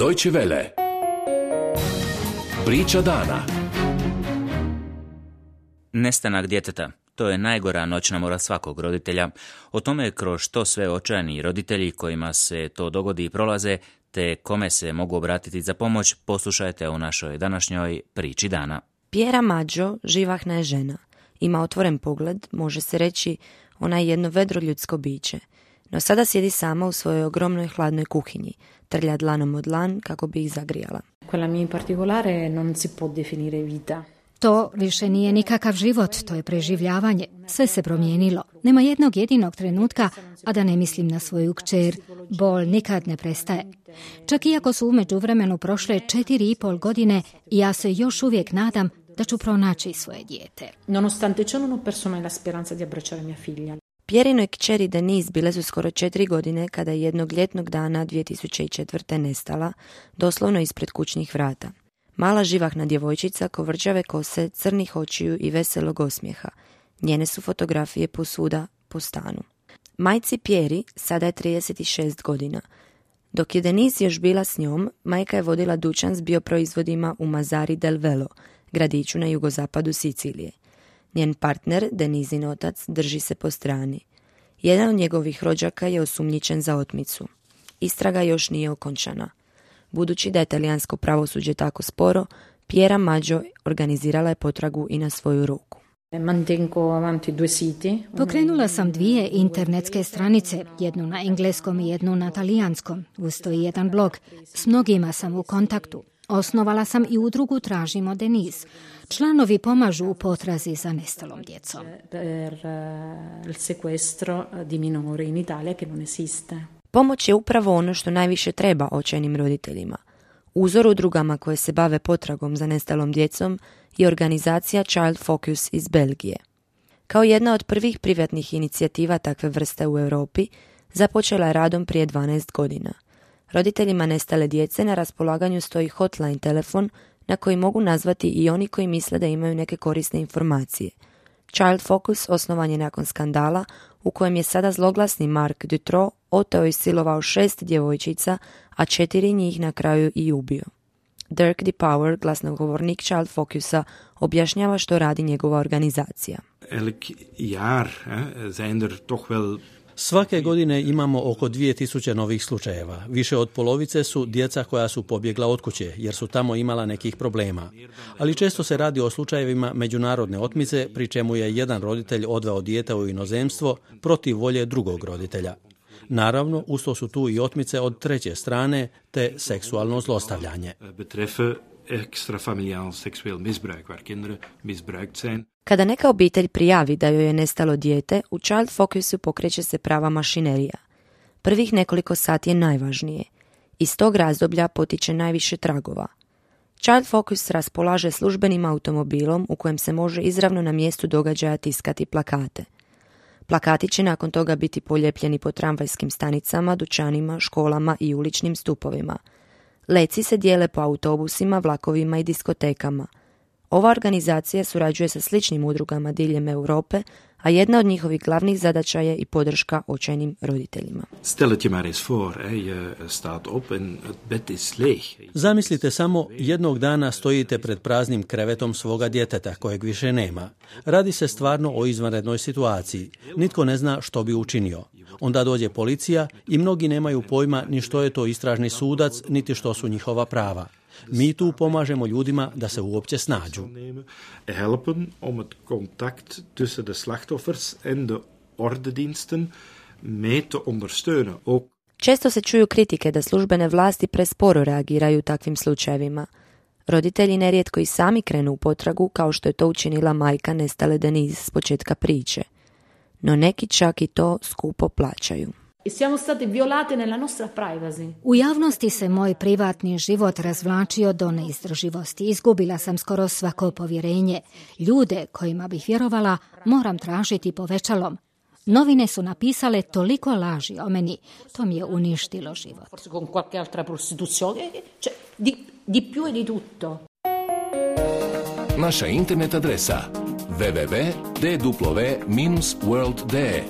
Deutsche Welle. Priča dana. Nestanak djeteta. To je najgora noćna mora svakog roditelja. O tome kroz što sve očajni roditelji kojima se to dogodi prolaze, te kome se mogu obratiti za pomoć, poslušajte u našoj današnjoj priči dana. Piera Maggio živahna je žena. Ima otvoren pogled, može se reći ona je jedno vedro ljudsko biće. No sada sjedi sama u svojoj ogromnoj hladnoj kuhinji, trlja dlanom od dlan kako bi ih zagrijala. Quella mia in particolare non si può definire vita. To više nije nikakav život, to je preživljavanje. Sve se promijenilo. Nema jednog jedinog trenutka, a da ne mislim na svoju kćer. Bol nikad ne prestaje. Čak iako su u međuvremenu prošle 4,5 godine, ja se još uvijek nadam da ću pronaći svoje dijete. Nonostante ciò non ho perso mai la speranza di abbracciare mia figlia. Pierinoj kćeri Denise bile su skoro 4 godine kada je jednog ljetnog dana 2004. nestala, doslovno ispred kućnih vrata. Mala živahna djevojčica kovrđave kose, crnih očiju i veselog osmijeha. Njene su fotografije posvuda po stanu. Majci Pieri sada je 36 godina. Dok je Denise još bila s njom, majka je vodila dućan s bioproizvodima u Mazzari del Velo, gradiću na jugozapadu Sicilije. Njen partner, Denisin otac, drži se po strani. Jedan od njegovih rođaka je osumnjičen za otmicu. Istraga još nije okončana. Budući da je talijansko pravosuđe tako sporo, Piera Maggio organizirala je potragu i na svoju ruku. Pokrenula sam 2 internetske stranice, jednu na engleskom i jednu na talijanskom. Uz to i jedan blog. S mnogima sam u kontaktu. Osnovala sam i udrugu Tražimo Denise. Članovi pomažu u potrazi za nestalom djecom. Pomoć je upravo ono što najviše treba očajnim roditeljima. Uzor udrugama koje se bave potragom za nestalom djecom je organizacija Child Focus iz Belgije. Kao jedna od prvih privatnih inicijativa takve vrste u Europi, započela je radom prije 12 godina. Roditeljima nestale djece na raspolaganju stoji hotline telefon na koji mogu nazvati i oni koji misle da imaju neke korisne informacije. Child Focus osnovan je nakon skandala u kojem je sada zloglasni Marc Dutroux oteo i silovao 6 djevojčica, a 4 njih na kraju i ubio. Dirk De Power, glasnogovornik Child Focusa, objašnjava što radi njegova organizacija. Svake godine imamo oko 2000 novih slučajeva. Više od polovice su djeca koja su pobjegla od kuće, jer su tamo imala nekih problema. Ali često se radi o slučajevima međunarodne otmice, pri čemu je jedan roditelj odveo dijete u inozemstvo protiv volje drugog roditelja. Naravno, usto su tu i otmice od treće strane, te seksualno zlostavljanje. Kada neka obitelj prijavi da joj je nestalo dijete, u Child Focusu pokreće se prava mašinerija. Prvih nekoliko sati je najvažnije. Iz tog razdoblja potiče najviše tragova. Child Focus raspolaže službenim automobilom u kojem se može izravno na mjestu događaja tiskati plakate. Plakati će nakon toga biti polijepljeni po tramvajskim stanicama, dućanima, školama i uličnim stupovima. Letci se dijele po autobusima, vlakovima i diskotekama. Ova organizacija surađuje sa sličnim udrugama diljem Europe, a jedna od njihovih glavnih zadaća je i podrška očajnim roditeljima. Zamislite samo, jednog dana stojite pred praznim krevetom svoga djeteta kojeg više nema. Radi se stvarno o izvanrednoj situaciji. Nitko ne zna što bi učinio. Onda dođe policija i mnogi nemaju pojma ni što je to istražni sudac, niti što su njihova prava. Mi tu pomažemo ljudima da se uopće snađu. Helpen om het contact tussen de slachtoffers en de ordediensten mee te ondersteunen. Često se čuju kritike da službene vlasti presporo reagiraju u takvim slučajevima. Roditelji nerijetko i sami krenu u potragu, kao što je to učinila majka nestale Denise s početka priče. No neki čak i to skupo plaćaju. U javnosti se moj privatni život razvlačio do neizdrživosti. Izgubila sam skoro svako povjerenje. Ljude kojima bih vjerovala moram tražiti povećalom. Novine su napisale toliko laži o meni. To mi je uništilo život. Naša internet adresa www.dw-world.de